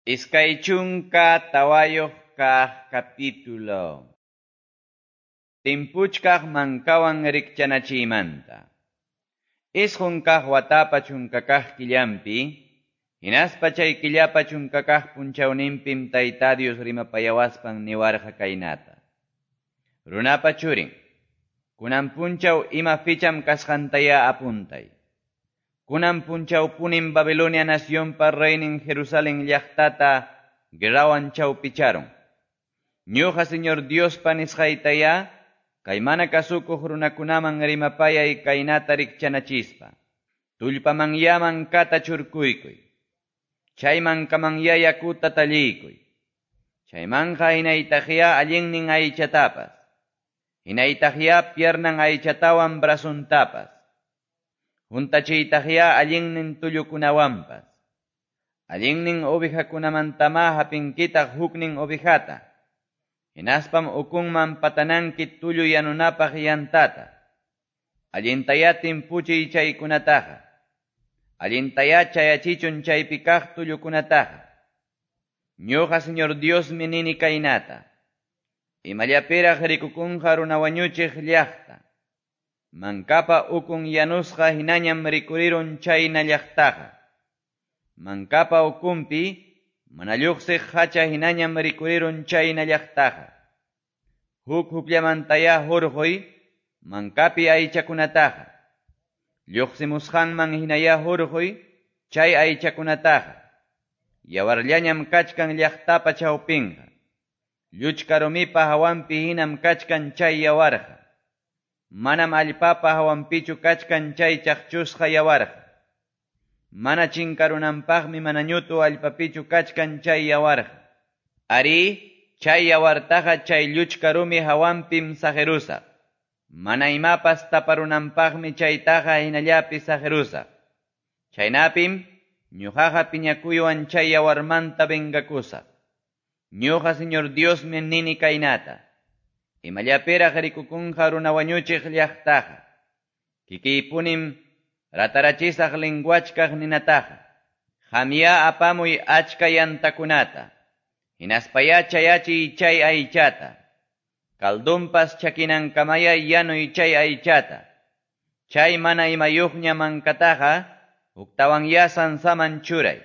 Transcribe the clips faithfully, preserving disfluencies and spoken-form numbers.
Iskay chunka tawayuq kaq capítulo. Timpuchkaq mankawan rikchanachiymanta. Isqun kaq watapa chunka kaq killampi, hinaspa chay killapa chunka kaq punchawninpim Tayta Dios rimapayawaspan niwarqa kaynata. Runapa churin, kunan punchaw ima ficham kasqantaya apuntay. Kunan punchawpunim Babilonia nacionpa reynin Jerusalén llaqtata guerrawan chawpicharon. Ñuqa Señor Diospa nisqaytaya, kay mana kasukuq runakunaman rimapayay kaynata rikchanachispa. Tullpamanyá mankata churkuykuy. Chay mankamanyá yakuta talliykuy. Chaymanqa hinaytaqyá allinnin aychatapas. Hinaytaqyá piernan aychatawan brazuntapas. Huntachiytaqyá allinnin tullukunawanpas. Allinnin ovejakunamantama hapinkitaq huknin ovejata. Hinaspam ukunman patananki tullu yanunapaq yantata. Allintayá timpuchiy chaykunataqa. Allintayá chayachichun chaypi kaq tullukunataqa. Ñuqa Señor Diosmi nini kaynata. Imallapiraq rikukunqa runa wañuchiq llaqta. Mankapa ukun yanusqa hinañam rikurirun chayna llaqtaqa. Mankapa ukunpi mana lluqsiq hacha hinañam rikurirun chayna llaqtaqa. Huk hukllamantayá hurquy mankapi aychakunataqa. Lluqsimusqanman hinayá hurquy chay aychakunataqa. Yawarllañam kachkan llaqtapa chawpinqa. Lluchka rumipa hawanpi hinam kachkan chay yawarqa. Manam allpapa hawanpichu kachkan chay chaqchusqa yawarqa. Mana chinkarunanpaqmi mana ñutu allpapichu kachkan chay yawarqa. Ari, chay yawartaqa chay lluchka rumi hawanpim saqirusaq. Mana imapas taparunanpaqmi chaytaqa hinallapi saqirusaq. Chaynapim ñuqaqa piñakuywan chay yawarmanta vengakusaq. Ñuqa Señor Diosmi nini kaynata. Imallapiraq rikukunqa runa wañuchiq llaqtaqa. Kikiypunim ratarachisaq linguachkaq ninataqa. Qamyá apamuy achka yantakunata. Hinaspayá chayachiy chay aychata. Kaldunpas chakinankamaya yanuy chay aychata. Chay mana imayuqña mankataqa huktawanyá sansaman churay.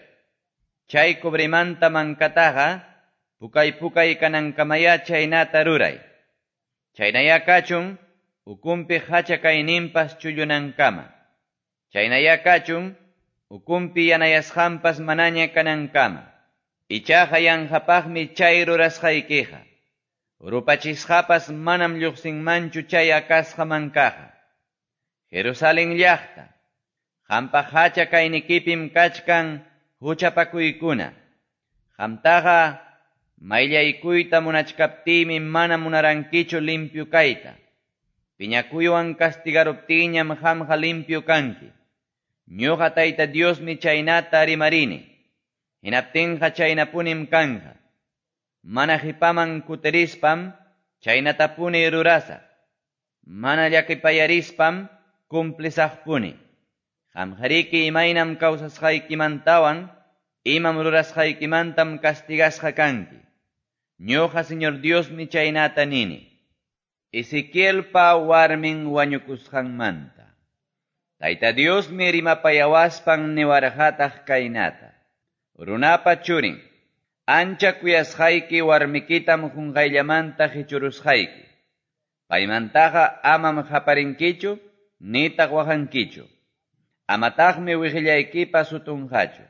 Chay cobremanta mankataqa pukay pukay kanankamaya chaynata ruray. Chaynayá kachun ukunpi hacha kayninpas chullunankama. Chaynayá kachun ukunpi yanayasqanpas manaña kanankama. Ichaqa yanqapaqmi chay rurasqaykiqa. Rupachisqapas manam lluqsinmanchu chay akasqa mankaqa. Jerusalén llaqta, qampa hacha kaynikipim kachkan huchapakuykuna. Qamtaqa mayllaykuyta munachkaptiymi mana munarankichu limpio kayta. Piñakuywan castigaruptiyñam qamqa limpio kanki. Ñuqa Tayta Diosmi chaynata rimarini. Hinaptinqa chaynapunim kanqa. Mana qipaman kutirispam chaynatapuni rurasaq. Mana llakipayaриspam cumplisaqpuni. Qamqariki imaynam kawsasqaykimantawan imam rurasqaykimantam castigasqa kanki. Ñuqa Señor Diosmi chaynata nini. Ezequielpa warmin wañukusqanmanta. Tayta Diosmi rimapayawaspan niwarqataq kaynata. Runapa churin, ancha kuyasqayki warmikitam qunqayllamanta qichurusqayki. Paymantaqa amam qaparinkichu, nitaq waqankichu. Amataqmi wiqillaykipas sutunqachu.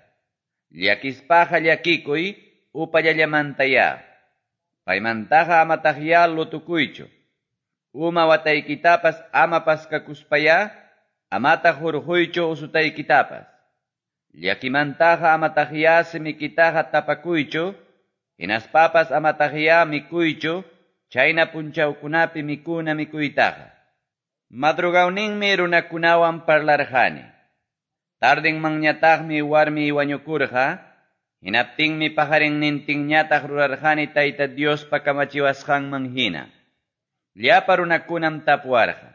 Llakispaqa llakikuy upallallamantayá. Paymantaqa amataqyá lutukuychu. Uma wataykitapas ama paskakuspayá, amataq hurquychu usutaykitapas. Llakimantaqa amataqyá simikitaqa tapakuychu, hinaspapas amataqyá mikuychu, chayna punchawkunapi mikuna mikuytaqa. Madrugawninmi runakunawan parlarqani. Tardinmanñataqmi warmi wañukurqa, hinaptinmi pajarinnintinñataq rurarqani Tayta Diospa kamachiwasqanman hina. Llapa runakunam tapuwarqa.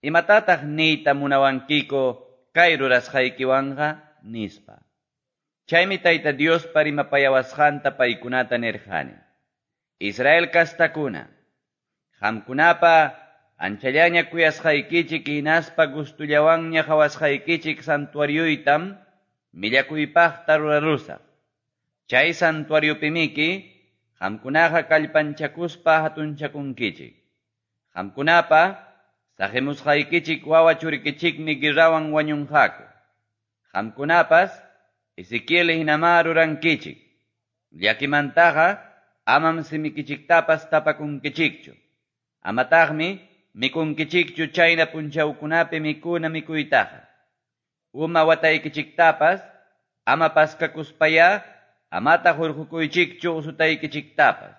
Imatataq niyta munawankiko kay rurasqaykiwanqa nispa. Chaymi Tayta Diospa rimapayawasqanta paykunata nirqani. Israel kastakuna, qamkunapa anchallaña kuyasqaykichik hinaspa gustullawanña qawasqaykichik santuarioytam millakuypaqta rurarusaq. Chay santuariopimiki qamkunaqa kallpanchakuspa hatunchakunkichik. Qamkunapa saqimusqaykichik wawa churikichikmi guerrawan wañunqaku. Qamkunapas Ezequiel hinamá rurankichik. Llakimantaqa amam simikichiktapas tapakunkichikchu. Amataqmi mikunkichikchu chayna punchawkunapi mikuna mikuytaqa. Uma wataykichiktapas ama paskakuspaya amataq hurqukuychikchu usutaykichiktapas.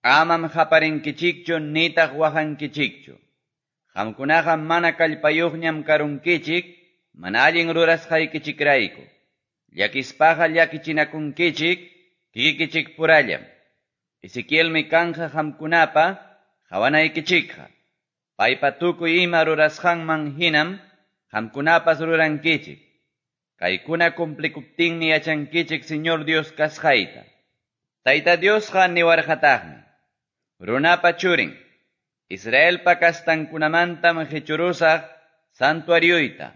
Amam qaparinkichikchu nitaq waqankichikchu. Qamkunaqa mana kallpayuqñam karunkichik mana allin rurasqaykichikrayku. Llakispaqa llakichinakunkichik kikikichik purallam. Ezequielmi kanja qamkunapa qawanaykichikqa. Paypa tukuy ima rurasqanman hinam qamkunapas rurankichik. Kaykuna cumplikuptinmi yachankichik Señor Dios kasqayta. Tayta Diosqa niwarqataqmi. Runapa churin, Israelpa kastankunamantam qichurusaq santuarioyta.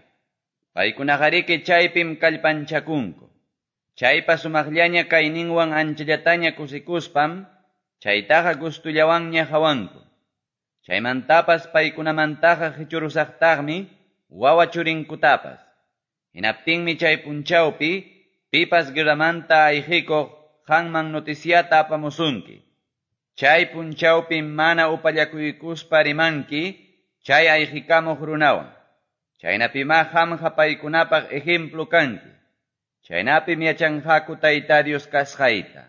Paykunaqariki chaypim kallpanchakunku. Chaypa sumaqllaña kayninwan anchallataña kusikuspam, chaytaqa gustullawanña hawanku. Chaymantapas paykunamantaqa qichurusaqtaqmi wawa churinkutapas. Hinaptinmi chay punchawpi pipas guerramanta ayqikuq qanman noticiata apamusunki. Chay punchawpi mana upallakuykuspa rimanki chay ayqikamuq runawan. Chaynapimá qamqa paykunapaq ejemplo kanki. Chaynapim yachanqaku Tayta Dios kasqayta.